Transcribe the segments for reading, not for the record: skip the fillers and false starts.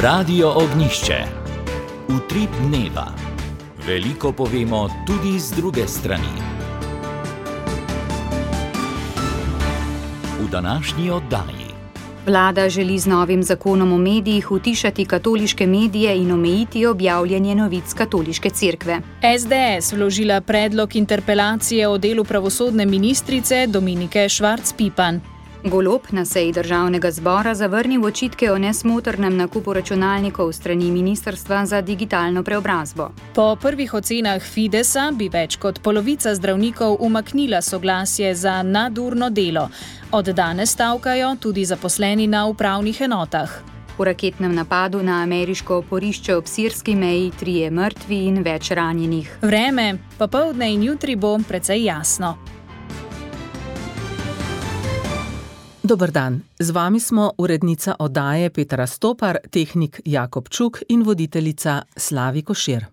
Radio Ognjišče. Utrip dneva. Veliko povemo tudi z druge strani. V današnji oddaji. Vlada želi z novim zakonom o medijih utišati katoliške medije in omejiti objavljanje novic katoliške cerkve. SDS vložila predlog interpelacije o delu pravosodne ministrice Dominike Švarc-Pipan. Golob na seji državnega zbora zavrnil očitke o nesmotrnem nakupu računalnikov strani Ministrstva za digitalno preobrazbo. Po prvih ocenah Fidesa bi več kot polovica zdravnikov umaknila soglasje za nadurno delo. Od danes stavkajo tudi zaposleni na upravnih enotah. V raketnem napadu na ameriško oporišče ob sirski meji 3 mrtvi in več ranjenih. Vreme, popoldne in jutri bo precej jasno. Dober dan, z vami smo urednica oddaje Petra Stopar, tehnik Jakob Čuk in voditeljica Slavi Košir.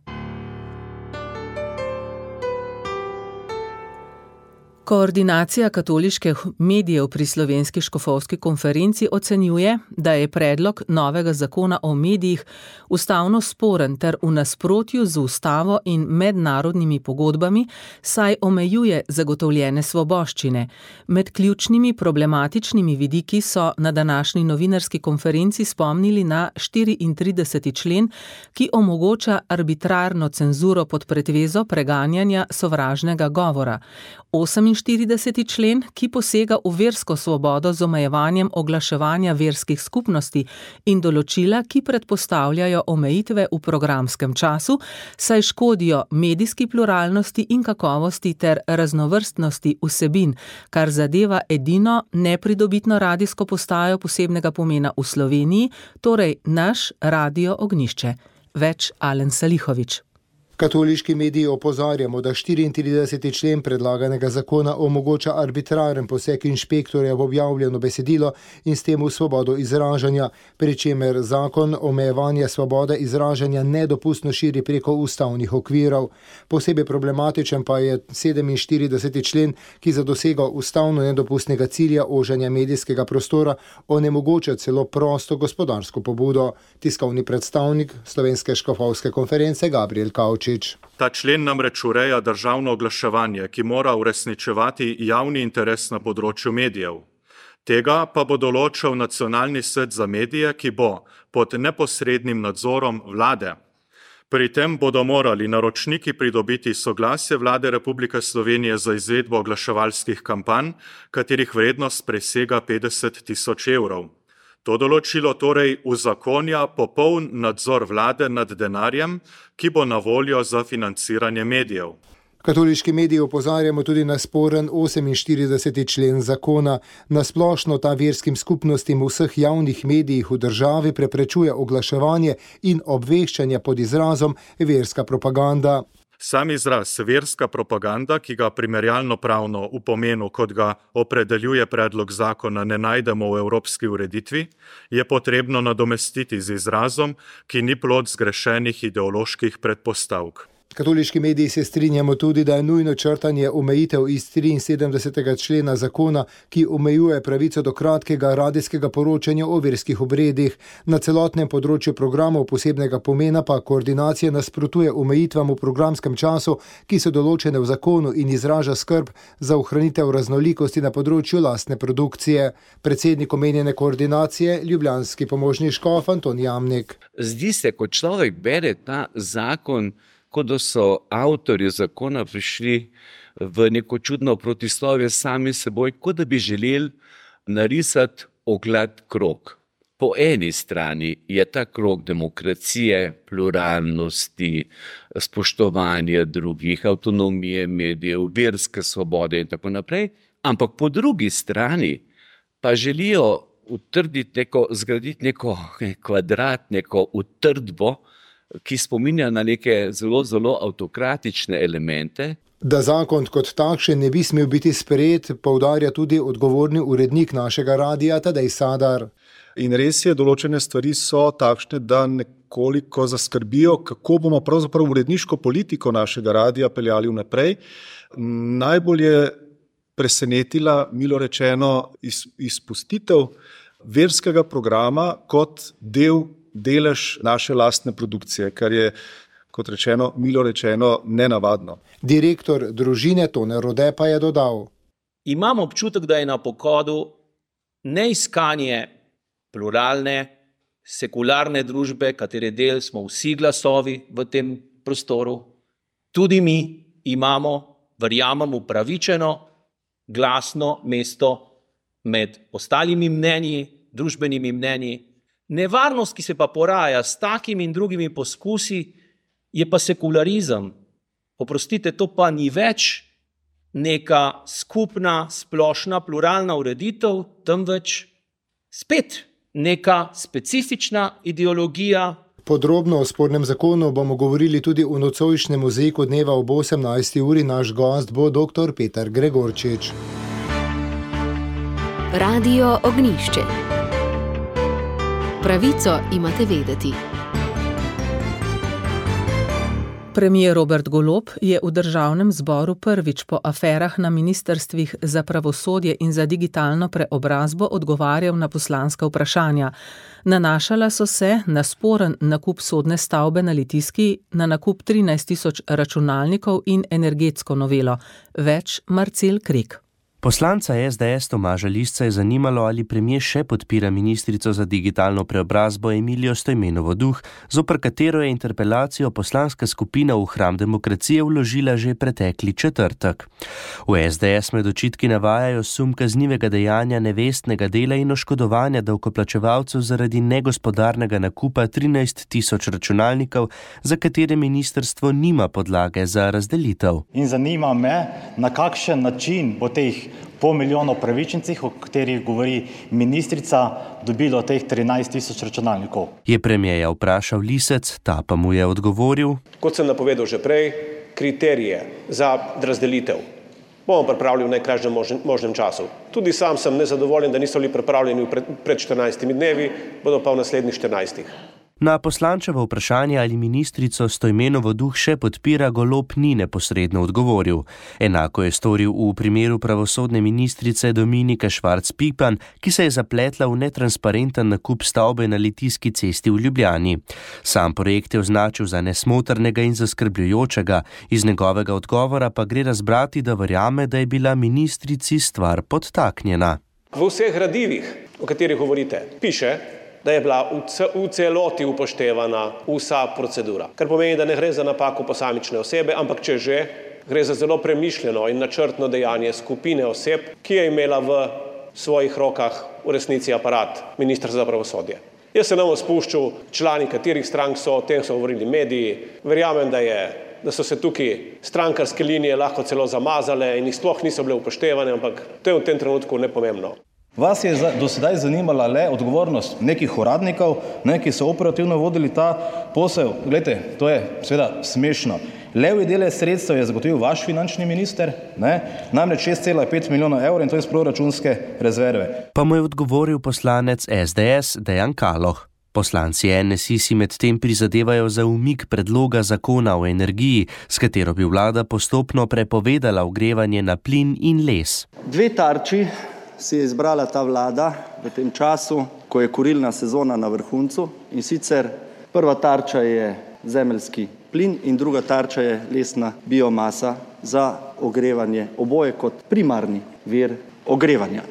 Koordinacija katoliških medijev pri Slovenski škofovski konferenci ocenjuje, da je predlog novega zakona o medijih ustavno sporen ter v nasprotju z ustavo in mednarodnimi pogodbami, saj omejuje zagotovljene svoboščine. Med ključnimi problematičnimi vidiki so na današnji novinarski konferenci spomnili na 34. člen, ki omogoča arbitrarno cenzuro pod pretvezo preganjanja sovražnega govora. 48. člen, ki posega v versko svobodo z omejevanjem oglaševanja verskih skupnosti in določila, ki predpostavljajo omejitve v programskem času, saj škodijo medijski pluralnosti in kakovosti ter raznovrstnosti vsebin, kar zadeva edino nepridobitno radijsko postajo posebnega pomena v Sloveniji, torej naš Radio Ognjišče. Več Alen Salihovič. Katoliški mediji opozarjamo, da 34. člen predlaganega zakona omogoča arbitraren poseg inšpektorja v objavljeno besedilo in s tem v svobodo izražanja, pri čemer zakon omejevanje svobode izražanja nedopustno širi preko ustavnih okvirov. Posebej problematičen pa je 47. člen, ki za dosego ustavno nedopustnega cilja oženja medijskega prostora onemogoča celo prosto gospodarsko pobudo. Tiskovni predstavnik Slovenske škofovske konference Gabriel Kavčič. Ta člen namreč ureja državno oglaševanje, ki mora uresničevati javni interes na področju medijev. Tega pa bo določal Nacionalni svet za medije, ki bo pod neposrednim nadzorom vlade. Pri tem bodo morali naročniki pridobiti soglasje Vlade Republike Slovenije za izvedbo oglaševalskih kampanj, katerih vrednost presega 50.000 evrov. To določilo torej uzakonja popoln nadzor vlade nad denarjem, ki bo na voljo za financiranje medijev. Katoliški mediji opozarjamo tudi na sporen 48. člen zakona. Na splošno ta verskim skupnostim v vseh javnih medijih v državi preprečuje oglaševanje in obveščanje pod izrazom verska propaganda. Sam izraz verska propaganda, ki ga primerjalno pravno v pomenu, kot ga opredeljuje predlog zakona, ne najdemo v evropski ureditvi, je potrebno nadomestiti z izrazom, ki ni plod zgrešenih ideoloških predpostavk. Katoliški mediji se strinjamo tudi, da je nujno črtanje omejitev iz 73. člena zakona, ki omejuje pravico do kratkega radijskega poročanja o verskih obredih. Na celotnem področju programov posebnega pomena pa koordinacija nasprotuje omejitvam v programskem času, ki so določene v zakonu in izraža skrb za ohranitev raznolikosti na področju lastne produkcije. Predsednik omenjene koordinacije, ljubljanski pomožni škof Anton Jamnik. Zdi se, ko človek bere ta zakon, kot da so avtorji zakona prišli v neko čudno protislovje sami seboj, kot da bi želeli narisati oglad krog. Po eni strani je ta krog demokracije, pluralnosti, spoštovanja drugih, avtonomije medijev, verske svobode in tako naprej, ampak po drugi strani pa želijo zgraditi neko kvadrat, neko utrdbo, ki spominja na neke zelo, zelo avtokratične elemente. Da zakon kot takšen ne bi smel biti sprejet, poudarja tudi odgovorni urednik našega radia Tadej Sadar. In res je, določene stvari so takšne, da nekoliko zaskrbijo, kako bomo pravzaprav uredniško politiko našega radia peljali vnaprej. Najbolj je presenetila, milo rečeno, izpustitev verskega programa kot del delež naše lastne produkcije, kar je, kot rečeno, milo rečeno, nenavadno. Direktor družine Tone Rode pa je dodal: Imam občutek, da je na pohodu neiskanje pluralne, sekularne družbe, katere del smo vsi glasovi v tem prostoru. Tudi mi imamo, verjamem, upravičeno, glasno mesto med ostalimi mnenji, družbenimi mnenji. Nevarnost, ki se pa poraja s takimi in drugimi poskusi, je pa sekularizem. Oprostite, to pa ni več neka skupna, splošna, pluralna ureditev, temveč spet neka specifična ideologija. Podrobno o spornem zakonu bomo govorili tudi v nocojšnjem mozaiku dneva ob 18. uri. Naš gost bo dr. Peter Gregorčič. Radio Ognjišče. Pravico imate vedeti. Premier Robert Golob je v državnem zboru prvič po aferah na ministrstvih za pravosodje in za digitalno preobrazbo odgovarjal na poslanska vprašanja. Nanašala so se na sporen nakup sodne stavbe na Litijski, na nakup 13.000 računalnikov in energetsko novelo. Več Marcel Krek. Poslanca SDS Tomaža Lisca je zanimalo, ali premier še podpira ministrico za digitalno preobrazbo Emilijo Stojmenovo Duh, zoper katero je interpelacijo poslanska skupina v hram demokracije vložila že pretekli četrtek. V SDS med očitki navajajo sum kaznivega dejanja nevestnega dela in oškodovanja davkoplačevalcev zaradi negospodarnega nakupa 13.000 računalnikov, za katere ministrstvo nima podlage za razdelitev. In zanima me, na kakšen način bo teh pol milijona upravičencih, o katerih govori ministrica, dobilo teh 13.000 računalnikov. Je premierja vprašal Lisec, ta pa mu je odgovoril: Kot sem napovedal že prej, kriterije za razdelitev bomo pripravili v najkrajšem možnem času. Tudi sam sem nezadovoljen, da niso bili pripravljeni pred 14 dnevi, bodo pa v naslednjih 14. Na poslančevo vprašanje, ali ministrico Stojmenovo Duh še podpira, Golob ni neposredno odgovoril. Enako je storil v primeru pravosodne ministrice Dominike Švarc Pipan, ki se je zapletla v netransparenten nakup stavbe na Litijski cesti v Ljubljani. Sam projekt je označil za nesmotrnega in zaskrbljujočega. Iz njegovega odgovora pa gre razbrati, da verjame, da je bila ministrici stvar podtaknjena. V vseh gradivih, o katerih govorite, piše, da je bila v celoti upoštevana vsa procedura. Kar pomeni, da ne gre za napako posamične osebe, ampak če že, gre za zelo premišljeno in načrtno dejanje skupine oseb, ki je imela v svojih rokah v resnici aparat ministrstva za pravosodje. Jaz se ne bom spuščal, člani katerih strank so, o tem so govorili mediji. Verjamem, da so se tukaj strankarske linije lahko celo zamazale in jih sploh niso bile upoštevane, ampak to je v tem trenutku nepomembno. Vas je do sedaj zanimala le odgovornost nekih uradnikov, ki so operativno vodili ta posel. Glejte, to je seveda smešno. Levji delež sredstev je zagotovil vaš finančni minister, namreč 6,5 milijona evrov, in to iz proračunske rezerve. Pa mu je odgovoril poslanec SDS Dejan Kaloh. Poslanci NSI si medtem prizadevajo za umik predloga zakona o energiji, s katero bi vlada postopno prepovedala ogrevanje na plin in les. Dve tarči si je izbrala ta vlada v tem času, ko je kurilna sezona na vrhuncu, in sicer prva tarča je zemeljski plin in druga tarča je lesna biomasa za ogrevanje, oboje kot primarni vir ogrevanja.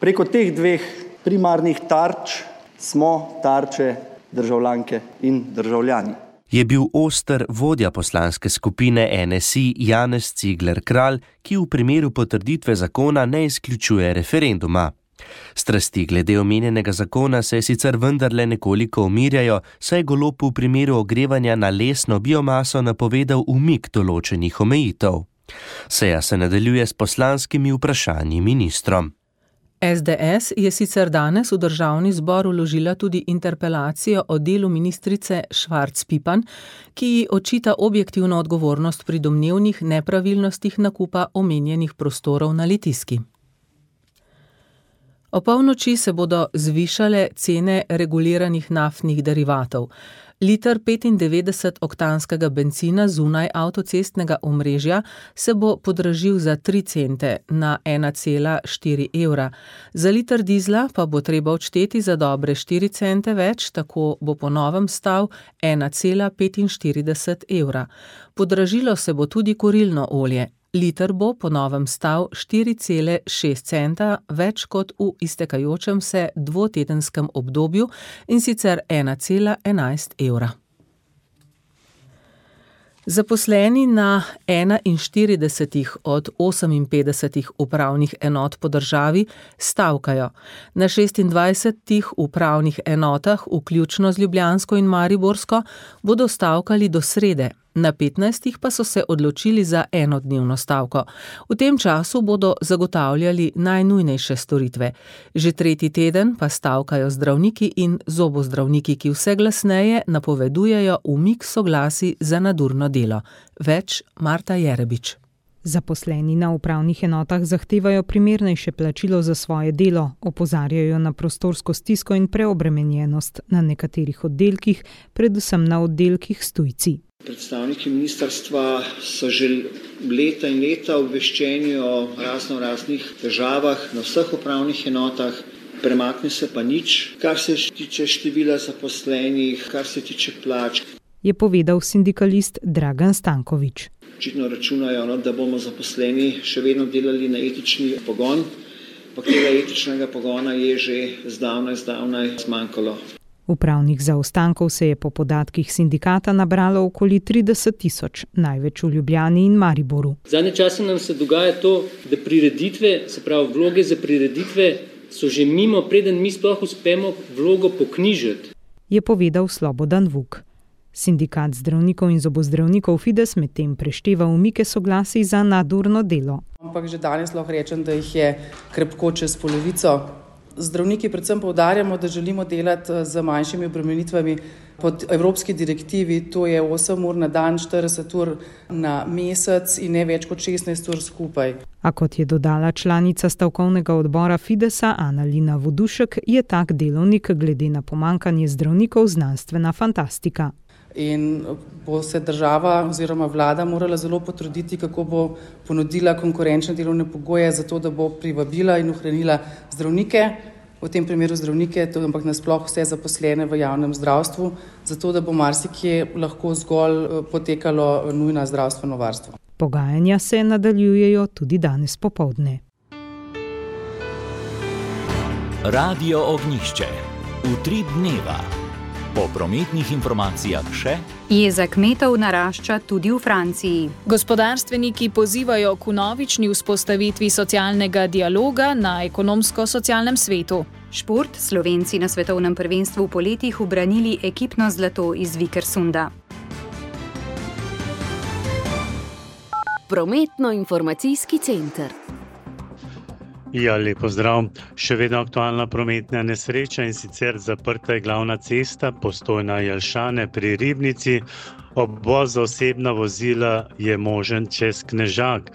Preko teh dveh primarnih tarč smo tarče državljanke in državljani. Je bil oster vodja poslanske skupine NSI Janez Cigler Kralj, ki v primeru potrditve zakona ne izključuje referenduma. Strasti glede omenjenega zakona se sicer vendarle nekoliko umirjajo, saj je Golob v primeru ogrevanja na lesno biomaso napovedal umik določenih omejitev. Seja se nadaljuje s poslanskimi vprašanji ministrom. SDS je sicer danes v državni zbor vložila tudi interpelacijo o delu ministrice Švarc Pipan, ki ji očita objektivno odgovornost pri domnevnih nepravilnostih nakupa omenjenih prostorov na Litijski. Opolnoči se bodo zvišale cene reguliranih naftnih derivatov. Liter 95-oktanskega bencina zunaj avtocestnega omrežja se bo podražil za 3 cente na 1,4 evra. Za liter dizla pa bo treba odšteti za dobre 4 cente več, tako bo po novem stal 1,45 evra. Podražilo se bo tudi kurilno olje. Liter bo po novem stal 4,6 centa več kot v iztekajočem se dvotedenskem obdobju, in sicer 1,11 evra. Zaposleni na 41 od 58 upravnih enot po državi stavkajo. Na 26 upravnih enotah, vključno z ljubljansko in mariborsko, bodo stavkali do srede. Na 15 pa so se odločili za enodnevno stavko. V tem času bodo zagotavljali najnujnejše storitve. Že 3. teden pa stavkajo zdravniki in zobozdravniki, ki vse glasneje napovedujejo umik soglasij za nadurno delo. Več Marta Jerebič. Zaposleni na upravnih enotah zahtevajo primernejše plačilo za svoje delo, opozarjajo na prostorsko stisko in preobremenjenost na nekaterih oddelkih, predvsem na oddelkih s tujci. Predstavniki ministrstva so že leta in leta obveščeni o raznih težavah na vseh upravnih enotah, premakne se pa nič, kar se tiče števila zaposlenih, kar se tiče plač. Je povedal sindikalist Dragan Stankovič. Očitno računajo, da bomo zaposleni še vedno delali na etični pogon, pa tega etičnega pogona je že zdavnaj zmanjkalo. Upravnih zaostankov se je po podatkih sindikata nabralo okoli 30.000, največ v Ljubljani in Mariboru. Zadnje čase nam se dogaja to, da prireditve, se pravi vloge za prireditve, so že mimo, preden mi sploh uspemo vlogo poknjižiti. Je povedal Slobodan Vuk. Sindikat zdravnikov in zobozdravnikov Fides medtem prešteva umike soglasij za nadurno delo. Ampak že danes lahko rečem, da jih je krepko čez polovico. Zdravniki predvsem poudarjamo, da želimo delati z manjšimi obremenitvami pod evropski direktivi, to je 8 ur na dan, 40 ur na mesec in ne več kot 16 ur skupaj. A kot je dodala članica stavkovnega odbora Fidesa Annalina Vodušek, je tak delovnik glede na pomanjkanje zdravnikov znanstvena fantastika. In bo se država oziroma vlada morala zelo potruditi, kako bo ponudila konkurenčne delovne pogoje za to, da bo privabila in ohranila zdravnike, v tem primeru zdravnike, ampak nasploh vse zaposlene v javnem zdravstvu, zato da bo marsikje lahko zgolj potekalo nujno zdravstveno varstvo. Pogajanja se nadaljujejo tudi danes popoldne. Radio Ognjišče. Utrip dneva. Po prometnih informacijah še. Jeza kmetov narašča tudi v Franciji. Gospodarstveniki pozivajo k vnovični vzpostavitvi socialnega dialoga na ekonomsko-socialnem svetu. Šport, Slovenci na svetovnem prvenstvu v poletih ubranili ekipno zlato iz Vikersunda. Prometno-informacijski center. Ja, lepo zdrav. Še vedno aktualna prometna nesreča, in sicer zaprta je glavna cesta Postojna-Jelšane pri Ribnici. Obvoz za osebna vozila je možen čez Knežak.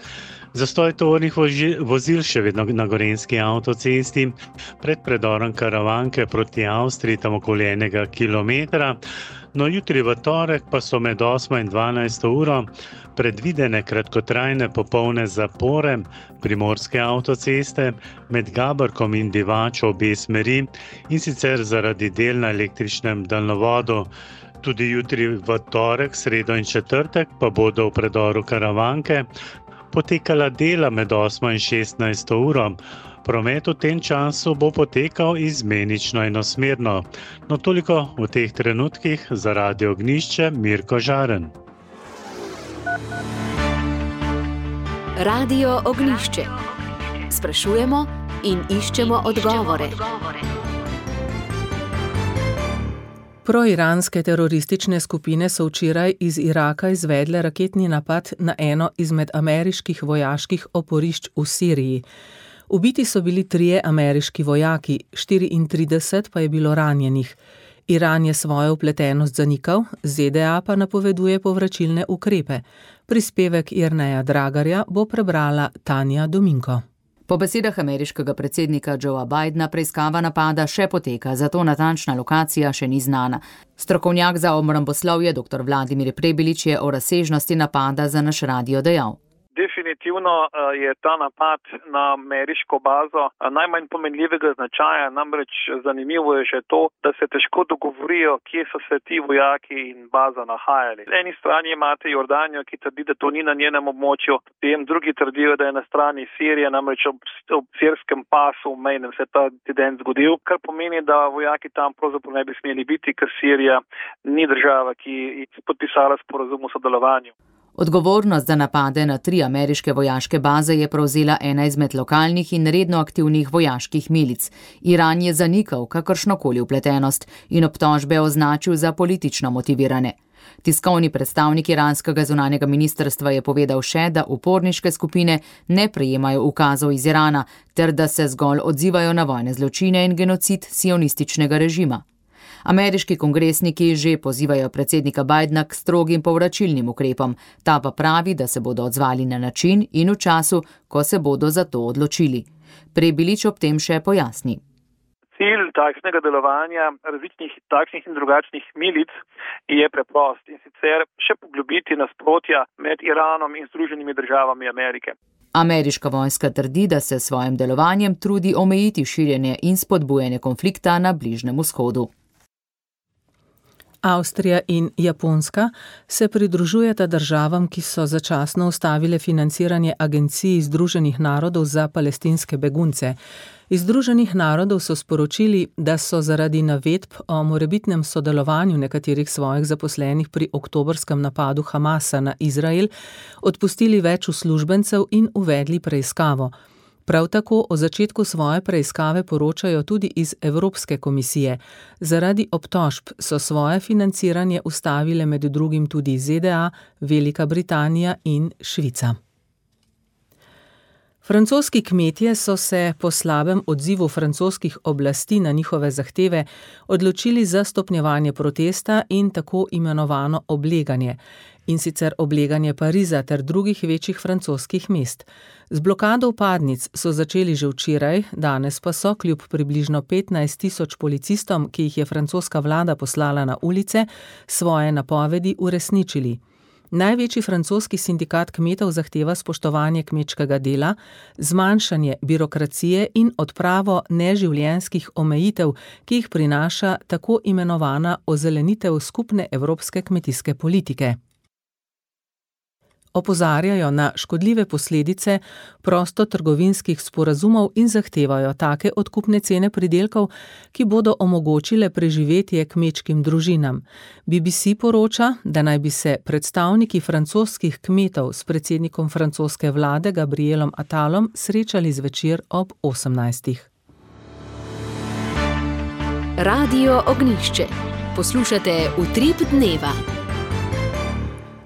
Zastoj tovornih vozil še vedno na Gorenjski avtocesti pred predorom Karavanke proti Avstriji, tam okoli 1 kilometra. No, jutri v torek pa so med 8 in 12 uro predvidene kratkotrajne popolne zapore primorske avtoceste med Gabrkom in Divačo obe smeri, in sicer zaradi del na električnem daljnovodu. Tudi jutri v torek, sredo in četrtek pa bodo v predoru Karavanke potekala dela med 8 in 16 uro. Promet v tem času bo potekal izmenično enosmerno. No, toliko v teh trenutkih za Radio Ognjišče, Mirko Žaren. Radio Ognjišče. Sprašujemo in iščemo odgovore. Proiranske teroristične skupine so včeraj iz Iraka izvedle raketni napad na eno izmed ameriških vojaških oporišč v Siriji. Ubiti so bili 3 ameriški vojaki, 34 pa je bilo ranjenih. Iran je svojo vpletenost zanikal, ZDA pa napoveduje povračilne ukrepe. Prispevek Jerneja Dragarja bo prebrala Tanja Dominko. Po besedah ameriškega predsednika Joea Bidena preiskava napada še poteka, zato natančna lokacija še ni znana. Strokovnjak za obramboslovje dr. Vladimir Prebilič je o razsežnosti napada za naš radio dejal. Definitivno je ta napad na ameriško bazo najmanj pomenljivega značaja, namreč zanimivo je že to, da se težko dogovorijo, kje so se ti vojaki in baza nahajali. Z eni strani imate Jordanijo, ki trdi, da to ni na njenem območju, potem drugi trdijo, da je na strani Sirije, namreč ob sirskem pasu mejnem se ta incident zgodil, kar pomeni, da vojaki tam pravzaprav ne bi smeli biti, ker Sirija ni država, ki je podpisala sporazum o sodelovanju. Odgovornost za napade na 3 ameriške vojaške baze je prevzela ena izmed lokalnih in redno aktivnih vojaških milic. Iran je zanikal kakršnokoli vpletenost in obtožbe označil za politično motivirane. Tiskovni predstavnik iranskega zunanjega ministrstva je povedal še, da uporniške skupine ne prejemajo ukazov iz Irana, ter da se zgolj odzivajo na vojne zločine in genocid sionističnega režima. Ameriški kongresniki že pozivajo predsednika Bidena k strogim povračilnim ukrepom, ta pa pravi, da se bodo odzvali na način in v času, ko se bodo za to odločili. Prebilič ob tem še pojasni. Cilj takšnega delovanja različnih takšnih in drugačnih milic je preprost in sicer še poglobiti nasprotja med Iranom in Združenimi državami Amerike. Ameriška vojska trdi, da se s svojim delovanjem trudi omejiti širjenje in spodbujanje konflikta na Bližnjem vzhodu. Avstrija in Japonska se pridružujeta državam, ki so začasno ustavile financiranje Agenciji Združenih narodov za palestinske begunce. Iz Združenih narodov so sporočili, da so zaradi navedb o morebitnem sodelovanju nekaterih svojih zaposlenih pri oktobrskem napadu Hamasa na Izrael odpustili več uslužbencev in uvedli preiskavo. Prav tako o začetku svoje preiskave poročajo tudi iz Evropske komisije. Zaradi obtožb so svoje financiranje ustavile med drugim tudi ZDA, Velika Britanija in Švica. Francoski kmetje so se po slabem odzivu francoskih oblasti na njihove zahteve odločili za stopnjevanje protesta in tako imenovano obleganje. In sicer obleganje Pariza ter drugih večjih francoskih mest. Z blokado vpadnic so začeli že včeraj, danes pa so kljub približno 15.000 policistom, ki jih je francoska vlada poslala na ulice, svoje napovedi uresničili. Največji francoski sindikat kmetov zahteva spoštovanje kmečkega dela, zmanjšanje birokracije in odpravo neživljenjskih omejitev, ki jih prinaša tako imenovana ozelenitev skupne evropske kmetijske politike. Opozarjajo na škodljive posledice prostotrgovinskih sporazumov in zahtevajo take odkupne cene pridelkov, ki bodo omogočile preživetje kmečkim družinam. BBC poroča, da naj bi se predstavniki francoskih kmetov s predsednikom francoske vlade Gabrielom Attalom srečali zvečer ob 18. Radio Ognjišče. Poslušate Utrip dneva.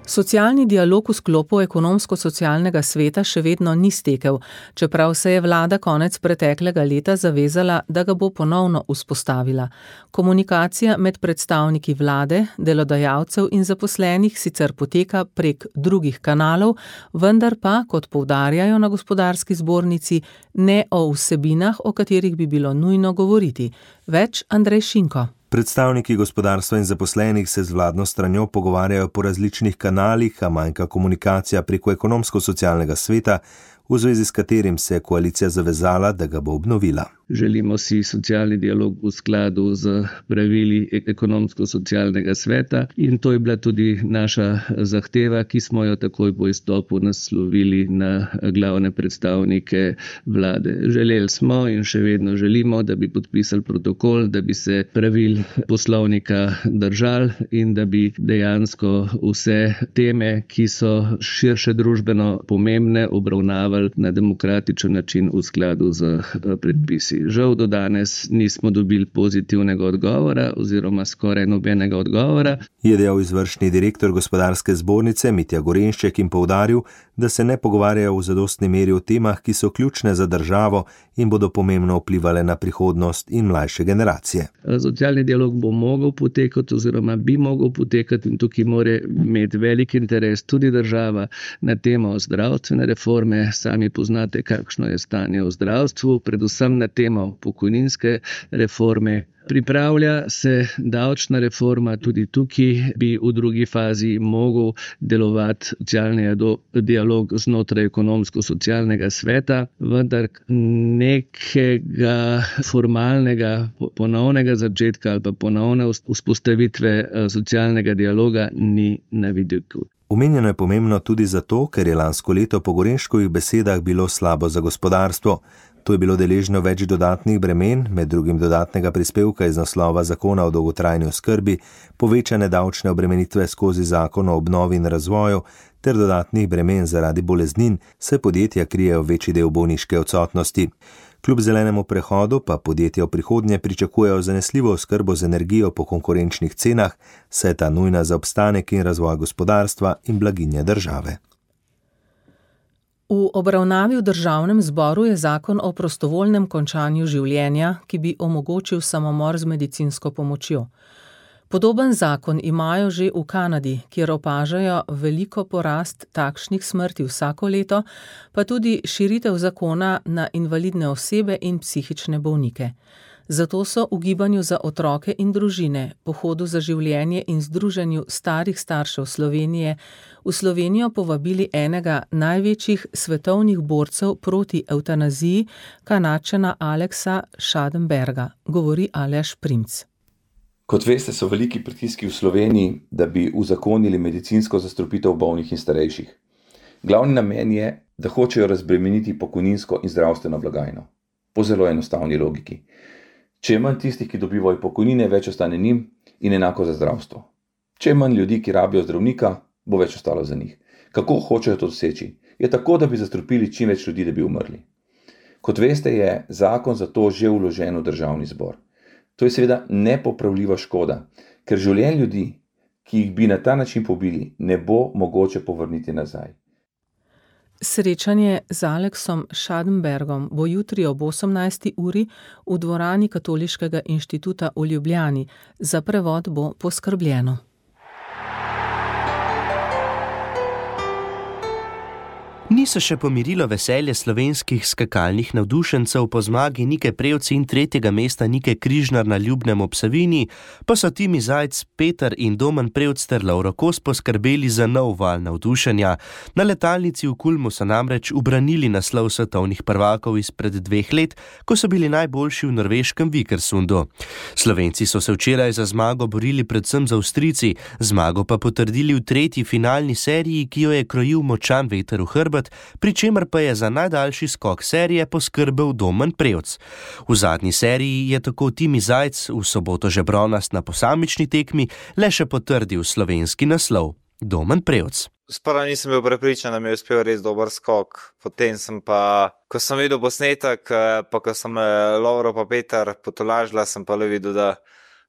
Socialni dialog v sklopu ekonomsko-socialnega sveta še vedno ni stekel, čeprav se je vlada konec preteklega leta zavezala, da ga bo ponovno vzpostavila. Komunikacija med predstavniki vlade, delodajalcev in zaposlenih sicer poteka prek drugih kanalov, vendar pa, kot poudarjajo na gospodarski zbornici, ne o vsebinah, o katerih bi bilo nujno govoriti. Več Andrej Šinko. Predstavniki gospodarstva in zaposlenih se z vladno stranjo pogovarjajo po različnih kanalih, a manjka komunikacija preko ekonomsko-socialnega sveta, v zvezi s katerim se je koalicija zavezala, da ga bo obnovila. Želimo si socialni dialog v skladu z pravili ekonomsko-socialnega sveta in to je bila tudi naša zahteva, ki smo jo takoj po izstopu naslovili na glavne predstavnike vlade. Želeli smo in še vedno želimo, da bi podpisali protokol, da bi se pravil poslovnika držali in da bi dejansko vse teme, ki so širše družbeno pomembne, obravnavali na demokratičen način v skladu z predpisi. Žal do danes nismo dobili pozitivnega odgovora oziroma skoraj nobenega odgovora. Je dejal izvršni direktor gospodarske zbornice Mitja Gorenšček in poudaril, da se ne pogovarjajo v zadostni meri o temah, ki so ključne za državo in bodo pomembno vplivale na prihodnost in mlajše generacije. Socialni dialog bo mogel potekati oziroma bi mogel potekati in tukaj mora imeti velik interes tudi država na temo zdravstvene reforme, sami poznate, kakšno je stanje v zdravstvu, predvsem na temo pokojninske reforme. Pripravlja se davčna reforma, tudi tukaj bi v drugi fazi mogel delovati socialni dialog znotraj ekonomsko-socialnega sveta, vendar nekega formalnega ponovnega začetka ali pa ponovne vzpostavitve socialnega dialoga ni na vidiku. Omenjeno je pomembno tudi zato, ker je lansko leto po Gorenškovih besedah bilo slabo za gospodarstvo. To je bilo deležno več dodatnih bremen, med drugim dodatnega prispevka iz naslova zakona o dolgotrajni oskrbi, povečane davčne obremenitve skozi zakon o obnovi in razvoju ter dodatnih bremen zaradi boleznin, saj podjetja krijejo večji del bolniške odsotnosti. Kljub zelenemu prehodu pa podjetja v prihodnje pričakujejo zanesljivo oskrbo z energijo po konkurenčnih cenah, saj je ta nujna za obstanek in razvoj gospodarstva in blaginje države. V obravnavi v Državnem zboru je zakon o prostovoljnem končanju življenja, ki bi omogočil samomor z medicinsko pomočjo. Podoben zakon imajo že v Kanadi, kjer opažajo veliko porast takšnih smrti vsako leto, pa tudi širitev zakona na invalidne osebe in psihične bolnike. Zato so v Gibanju za otroke in družine, Pohodu za življenje in Združenju starih staršev Slovenije v Slovenijo povabili enega največjih svetovnih borcev proti evtanaziji, Kanadčana Alexa Schadenberga, govori Aleš Primc. Kot veste, so veliki pritiski v Sloveniji, da bi uzakonili medicinsko zastrupitev bolnih in starejših. Glavni namen je, da hočejo razbremeniti pokojninsko in zdravstveno blagajno. Po zelo enostavni logiki. Če je manj tistih, ki dobivajo pokojnine, več ostane njim in enako za zdravstvo. Če je manj ljudi, ki rabijo zdravnika, bo več ostalo za njih. Kako hočejo to doseči? Je tako, da bi zastrupili čim več ljudi, da bi umrli. Kot veste, je zakon za to že vložen v Državni zbor. To je seveda nepopravljiva škoda, ker življenj ljudi, ki jih bi na ta način pobili, ne bo mogoče povrniti nazaj. Srečanje z Aleksom Schadenbergom bo jutri ob 18. uri v dvorani Katoliškega inštituta v Ljubljani. Za prevod bo poskrbljeno. Niso še pomirilo veselje slovenskih skakalnih navdušencev po zmagi Nike Prevc in 3. mesta Nike Križnar na Ljubnem ob Savinji, pa so Timi Zajc, Peter in Domen Prevc ter Lovro Kos poskrbeli za nov val navdušenja. Na letalnici v Kulmu so namreč ubranili naslov svetovnih prvakov izpred 2 let, ko so bili najboljši v norveškem Vikersundu. Slovenci so se včeraj za zmago borili predvsem z Avstrijci, zmago pa potrdili v 3. finalni seriji, ki jo je krojil močan veter v hrbet, pri čemer pa je za najdaljši skok serije poskrbel Domen Prevc. V zadnji seriji je tako Timi Zajc v soboto že bronast na posamični tekmi le še potrdil slovenski naslov. Domen Prevc. Sprva nisem bil prepričan, da mi je uspel res dober skok. Potem sem pa, ko sem videl posnetek, pa ko sem Lovro pa Peter potolažila, sem pa le videl, da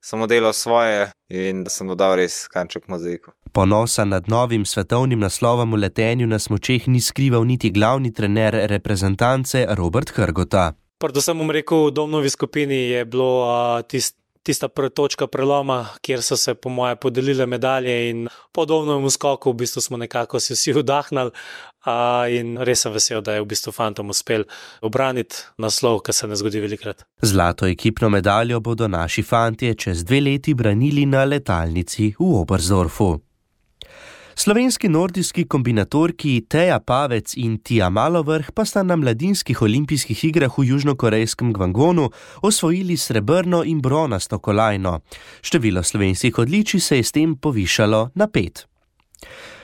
sem oddelal svoje in da sem dodal res kanček mozaika. Ponosa nad novim svetovnim naslovom v letenju na smučeh ni skrival niti glavni trener reprezentance Robert Hrgota. Predvsem bom rekel, v Domnovi skupini je bilo tista točka preloma, kjer so se po moje podelile medalje in po Domnovem skoku v bistvu smo nekako si vsi vdahnali in res sem vesel, da je v bistvu fantom uspel obraniti naslov, kar se ne zgodi velikrat. Zlato ekipno medaljo bodo naši fantje čez 2 leti branili na letalnici v Oberstdorfu. Slovenski nordijski kombinatorki Teja Pavec in Tija Malovrh pa sta na mladinskih olimpijskih igrah v južnokorejskem Gvangwonu osvojili srebrno in bronasto kolajno. Število slovenskih odličij se je s tem povišalo na 5.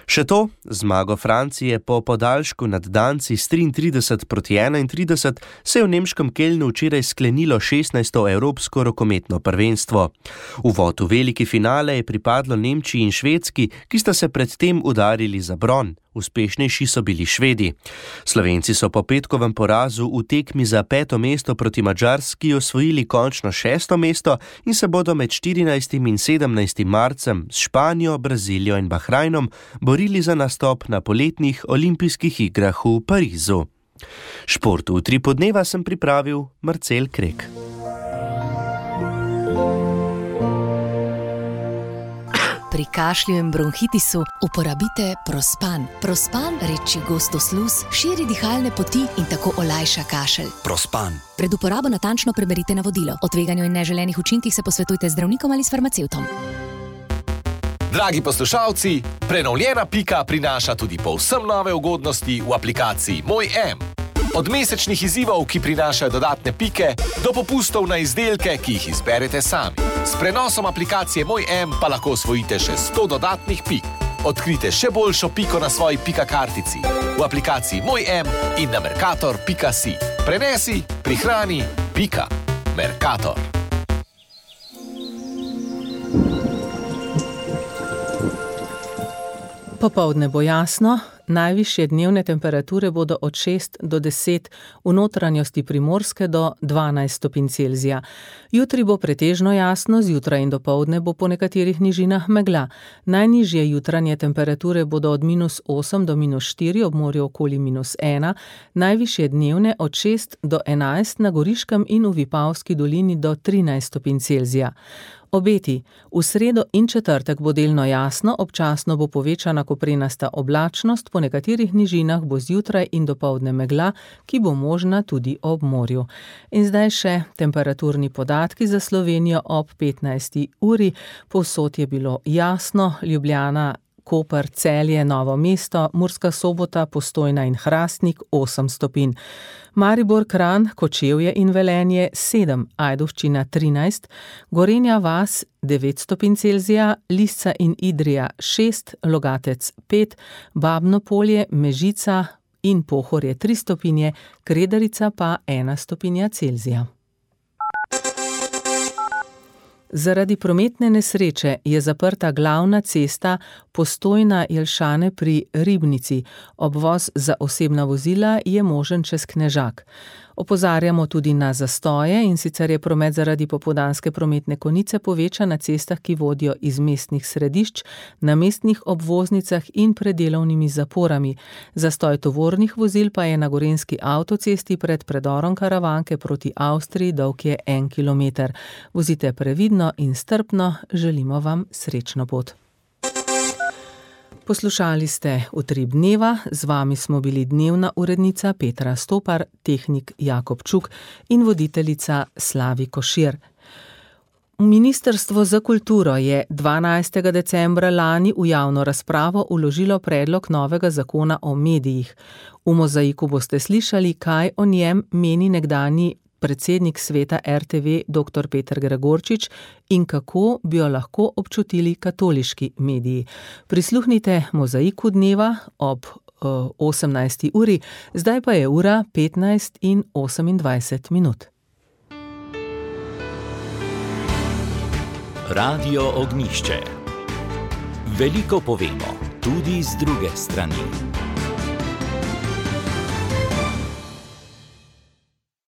Še to, zmago Francije po podaljšku nad Danci s 33-31 se je v nemškem Kelnu včeraj sklenilo 16. evropsko rokometno prvenstvo. Uvod v veliki finale je pripadlo Nemčiji in Švedski, ki sta se predtem udarili za bron. Uspešnejši so bili Švedi. Slovenci so po petkovem porazu v tekmi za 5. mesto proti Madžarski osvojili končno 6. mesto in se bodo med 14. in 17. marcem s Španijo, Brazilijo in Bahrajnom borili za nastop na poletnih olimpijskih igrah v Parizu. Šport v 3 podneva sem pripravil Marcel Krek. Pri kašlju in bronhitisu uporabite Prospan. Prospan reči gostosluz, širi dihalne poti in tako olajša kašelj. Prospan. Pred uporabo natančno preberite navodilo. O tveganju in neželenih učinkih se posvetujte z zdravnikom ali s farmacevtom. Dragi poslušalci, prenovljena Pika prinaša tudi povsem nove ugodnosti v aplikaciji Moj M. Od mesečnih izzivov, ki prinašajo dodatne pike, do popustov na izdelke, ki jih izberete sami. S prenosom aplikacije Moj M pa lahko osvojite še 100 dodatnih pik. Odkrite še boljšo piko na svoji Pika kartici v aplikaciji Moj M in na mercator.si. Prenesi, prihrani, Pika. Mercator. Popoldne bo jasno, najvišje dnevne temperature bodo od 6 do 10, v notranjosti Primorske do 12 stopinj Celzija. Jutri bo pretežno jasno, zjutraj in dopoldne bo po nekaterih nižinah megla. Najnižje jutranje temperature bodo od -8 do -4, ob morju okoli -1, najvišje dnevne od 6 do 11 na Goriškem in v Vipavski dolini do 13 stopinj Celzija. Obeti. V sredo in četrtek bo delno jasno, občasno bo povečana koprenasta oblačnost, po nekaterih nižinah bo zjutraj in dopoldne megla, ki bo možna tudi ob morju. In zdaj še temperaturni podatki za Slovenijo ob 15. uri. Povsod je bilo jasno, Ljubljana, Koper, Celje, Novo mesto, Murska Sobota, Postojna in Hrastnik 8 stopinj. Maribor, Kranj, Kočevje in Velenje 7, Ajdovščina 13, Gorenja vas 9 stopinj Celzija, Lisca in Idrija 6, Logatec 5, Babno Polje, Mežica in Pohorje 3 stopinje, Kredarica pa 1 stopinja Celzija. Zaradi prometne nesreče je zaprta glavna cesta Postojna-Jelšane pri Ribnici. Obvoz za osebna vozila je možen čez Knežak. Opozarjamo tudi na zastoje, in sicer je promet zaradi popoldanske prometne konice povečan na cestah, ki vodijo iz mestnih središč, na mestnih obvoznicah in pred delovnimi zaporami. Zastoj tovornih vozil pa je na gorenjski avtocesti pred predorom Karavanke proti Avstriji, dolg je 1 kilometer. Vozite previdno in strpno, želimo vam srečno pot. Poslušali ste Utrip dneva, z vami smo bili dnevna urednica Petra Stopar, tehnik Jakob Čuk in voditeljica Slavi Košir. Ministrstvo za kulturo je 12. decembra lani v javno razpravo vložilo predlog novega zakona o medijih. V Mozaiku boste slišali, kaj o njem meni nekdanji predsednik sveta RTV dr. Peter Gregorčič in kako bi jo lahko občutili katoliški mediji. Prisluhnite Mozaiku dneva ob 18. uri, zdaj pa je ura 15 in 28 minut. Radio Ognjišče. Veliko povemo, tudi z druge strani.